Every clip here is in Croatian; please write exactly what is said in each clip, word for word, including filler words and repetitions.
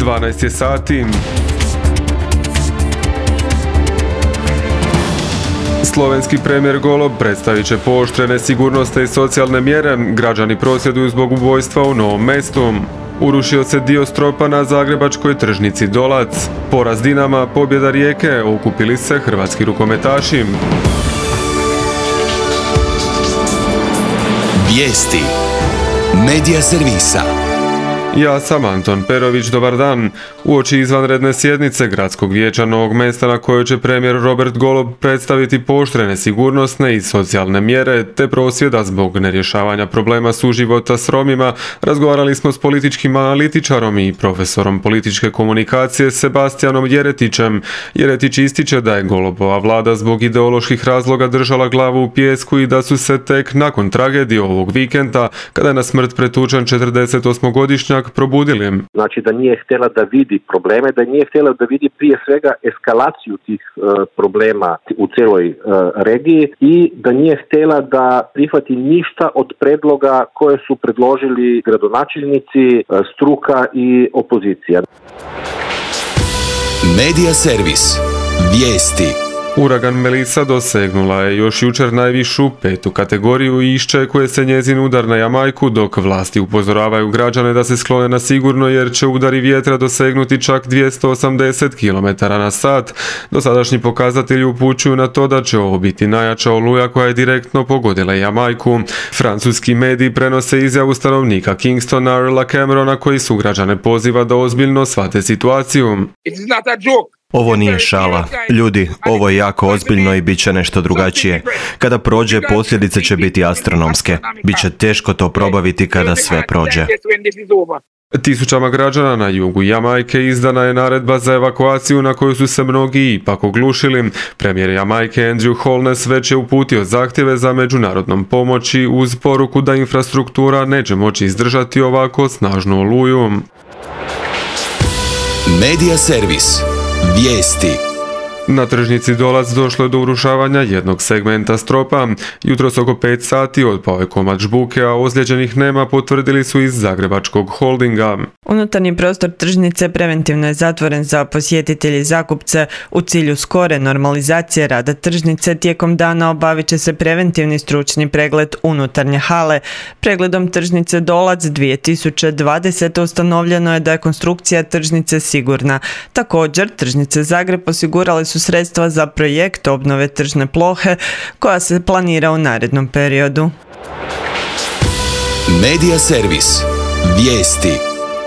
dvanaest je sati. Slovenski premijer Golob predstavit će pooštrene sigurnosne i socijalne mjere. Građani prosvjeduju zbog ubojstva u Novom Mestu. Urušio se dio stropa na zagrebačkoj tržnici Dolac. Poraz Dinama, pobjeda Rijeke, okupili se hrvatski rukometaši. Vijesti Medija servisa. Ja sam Anton Perović, dobar dan. Uoči izvanredne sjednice Gradskog vijeća Novog Mesta na kojoj će premijer Robert Golob predstaviti pooštrene sigurnosne i socijalne mjere te prosvjeda zbog nerješavanja problema suživota s Romima, razgovarali smo s političkim analitičarom i profesorom političke komunikacije Sebastianom Jeretićem. Jeretić ističe da je Golobova vlada zbog ideoloških razloga držala glavu u pijesku i da su se tek nakon tragedije ovog vikenda, kada je na smrt pretučen četrdesetosmogodišnjak, probudili. Znači da nije htjela da vidi probleme, da nije htjela da vidi prije svega eskalaciju tih uh, problema u cijeloj uh, regiji i da nije htjela da prihvati ništa od predloga koje su predložili gradonačelnici, uh, struka i opozicija. Medija servis. Vijesti. Uragan Melissa dosegnula je još jučer najvišu petu kategoriju i iščekuje se njezin udar na Jamajku, dok vlasti upozoravaju građane da se sklone na sigurno jer će udari vjetra dosegnuti čak dvjesto osamdeset kilometara na sat. Dosadašnji pokazatelji upućuju na to da će ovo biti najjača oluja koja je direktno pogodila Jamajku. Francuski mediji prenose izjavu stanovnika Kingstona Earla Camerona koji su građane poziva da ozbiljno shvate situaciju. It's not a joke. Ovo nije šala. Ljudi, ovo je jako ozbiljno i bit će nešto drugačije. Kada prođe, posljedice će biti astronomske. Biće teško to probaviti kada sve prođe. Tisućama građana na jugu Jamajke izdana je naredba za evakuaciju na koju su se mnogi ipak oglušili. Premijer Jamajke Andrew Holness već je uputio zahtjeve za međunarodnom pomoći uz poruku da infrastruktura neće moći izdržati ovako snažnu oluju. Medija servis. Vijesti. Na tržnici Dolac došlo je do urušavanja jednog segmenta stropa. Jutros oko pet sati otpao je komad žbuke, a ozlijeđenih nema, potvrdili su iz Zagrebačkog holdinga. Unutarnji prostor tržnice preventivno je zatvoren za posjetitelje i zakupce. U cilju skore normalizacije rada tržnice tijekom dana obavit će se preventivni stručni pregled unutarnje hale. Pregledom tržnice Dolac dvije tisuće dvadesete ustanovljeno je da je konstrukcija tržnice sigurna. Također, tržnice Zagreb osigurale su sredstva za projekt obnove tržne plohe koja se planira u narednom periodu. Medija servis. Vijesti.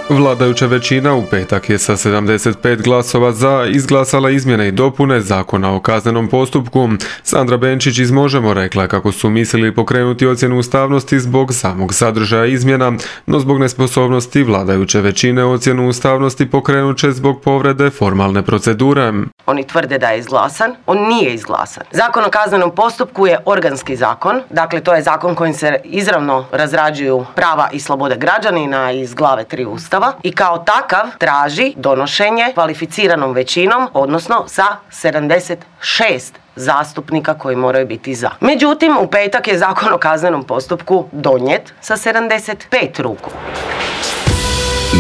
Vladajuća većina u petak je sa sedamdeset pet glasova za izglasala izmjene i dopune Zakona o kaznenom postupku. Sandra Benčić iz Možemo rekla kako su mislili pokrenuti ocjenu ustavnosti zbog samog sadržaja izmjena, no zbog nesposobnosti vladajuće većine ocjenu ustavnosti pokrenut će zbog povrede formalne procedure. Oni tvrde da je izglasan, on nije izglasan. Zakon o kaznenom postupku je organski zakon, dakle to je zakon kojim se izravno razrađuju prava i slobode građanina iz glave tri Ustava. I kao takav traži donošenje kvalificiranom većinom, odnosno sa sedamdeset šest zastupnika koji moraju biti za. Međutim, u petak je Zakon o kaznenom postupku donijet sa sedamdeset pet ruku.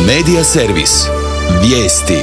Medija servis. Vijesti.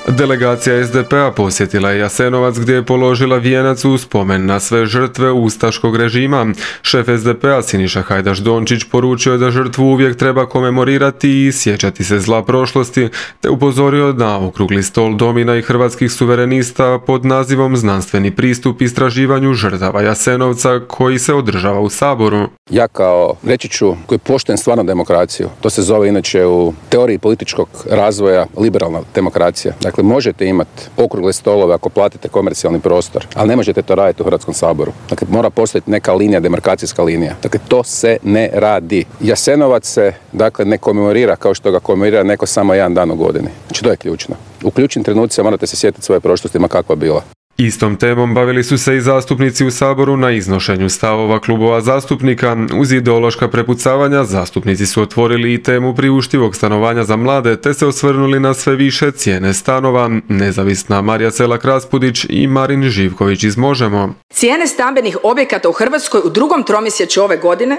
Delegacija es de pe a posjetila je Jasenovac gdje je položila vijenac u spomen na sve žrtve ustaškog režima. Šef es de pe a Siniša Hajdaš Dončić poručio je da žrtvu uvijek treba komemorirati i sjećati se zla prošlosti, te upozorio na okrugli stol Domina i hrvatskih suverenista pod nazivom Znanstveni pristup istraživanju žrtava Jasenovca koji se održava u Saboru. Ja kao, reći ću, koji poštujem stvarno demokraciju, to se zove inače u teoriji političkog razvoja liberalna demokracija. Dakle, možete imati okrugle stolove ako platite komercijalni prostor, ali ne možete to raditi u Hrvatskom saboru. Dakle, mora postojati neka linija, demarkacijska linija. Dakle, to se ne radi. Jasenovac se, dakle, ne komemorira kao što ga komemorira neko samo jedan dan u godini. Znači, to je ključno. U ključnim trenucima morate se sjetiti svoje prošlosti, ma kakva bila. Istom temom bavili su se i zastupnici u Saboru na iznošenju stavova klubova zastupnika. Uz ideološka prepucavanja zastupnici su otvorili i temu priuštivog stanovanja za mlade te se osvrnuli na sve više cijene stanova. Nezavisna Marija Selak-Raspudić i Marin Živković iz Možemo. Cijene stambenih objekata u Hrvatskoj u drugom tromjesečju ove godine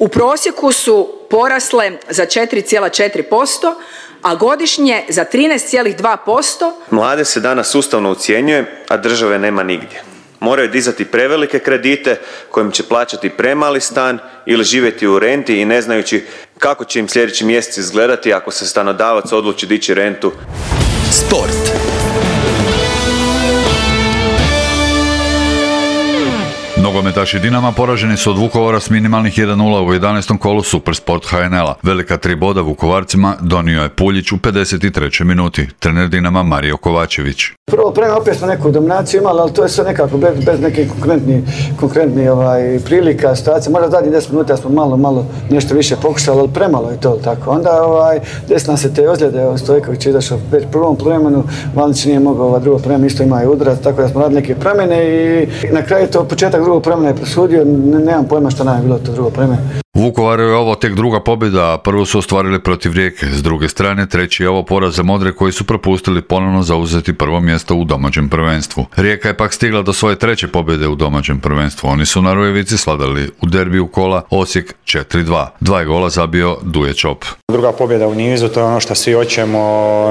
u prosjeku su porasle za četiri zarez četiri posto, a godišnje za trinaest zarez dva posto. Mlade se danas sustavno ucjenjuje, a države nema nigdje. Moraju dizati prevelike kredite kojim će plaćati premali stan ili živjeti u renti i ne znajući kako će im sljedeći mjesec izgledati ako se stanodavac odluči dići rentu. Sport. Nogometaši Dinama poraženi su od Vukovara s minimalnih jedan nula u jedanaestom kolu Supersport ha en el-a. Velika tri boda Vukovarcima donio je Puljić u pedeset trećoj minuti. Trener Dinama Mario Kovačević. Prvo prema opet smo neku dominaciju imali, ali to je sve nekako bez, bez nekih konkretnih konkretni, ovaj, prilika, situacija. Možda zadnjih deset minuta smo malo, malo nešto više pokušali, ali premalo je to tako. Onda ovaj, desna se te ozljede, Stojković je izašao već prvom vremenu, Valnić nije mogao, ova drugo vreme isto ima i udarac, tako da smo radili neke promjene i na kraju to početak drugog vremena je presudio, nemam pojma šta nam je bilo to drugo vreme. Vukovaru je ovo tek druga pobjeda, a prvu su ostvarili protiv Rijeke. S druge strane, treći je ovo poraz za Modre koji su propustili ponovno zauzeti prvo mjesto u domaćem prvenstvu. Rijeka je pak stigla do svoje treće pobjede u domaćem prvenstvu. Oni su na Rujevici sladali u derbiju kola Osijek četiri dva. Dva je gola zabio Duje Čop. Druga pobjeda u nizu, to je ono što svi hoćemo,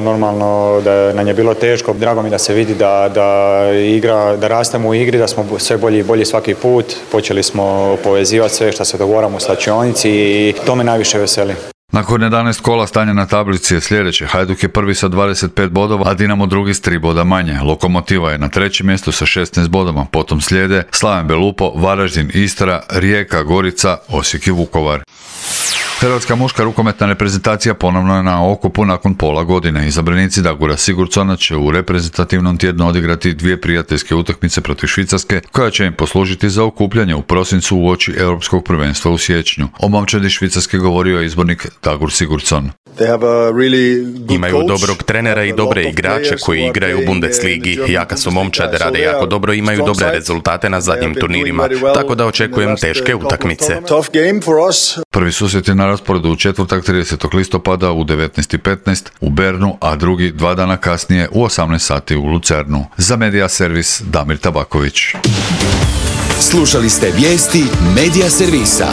normalno da nam je bilo teško. Drago mi da se vidi da, da, igra, da rastemo u igri, da smo sve bolji i bolji svaki put. Počeli smo povezivati sve što se dogovaramo u slačionici i to me najviše veseli. Nakon jedanaest kola stanje na tablici je sljedeće. Hajduk je prvi sa dvadeset pet bodova, a Dinamo drugi s tri boda manje. Lokomotiva je na trećem mjestu sa šesnaest bodova. Potom slijede Slaven Belupo, Varaždin, Istra, Rijeka, Gorica, Osijek i Vukovar. Hrvatska muška rukometna reprezentacija ponovno je na okupu nakon pola godine. Izabranici Dagura Sigurdsona će u reprezentativnom tjednu odigrati dvije prijateljske utakmice protiv Švicarske, koja će im poslužiti za okupljanje u prosincu uoči Europskog prvenstva u siječnju. O momčadi Švicarske govorio je izbornik Dagur Sigurdsson. Imaju dobrog trenera i dobre igrače koji igraju u Bundesligi. Jaka su momčade, rade jako dobro, imaju dobre rezultate na zadnjim turnirima, tako da očekujem teške utakmice. Prvi susret je na rasporedu u četvrtak tridesetog listopada u devetnaest i petnaest u Bernu, a drugi dva dana kasnije u osamnaest sati u Lucernu. Za Media Servis Damir Tabaković. Slušali ste vijesti Media Servisa.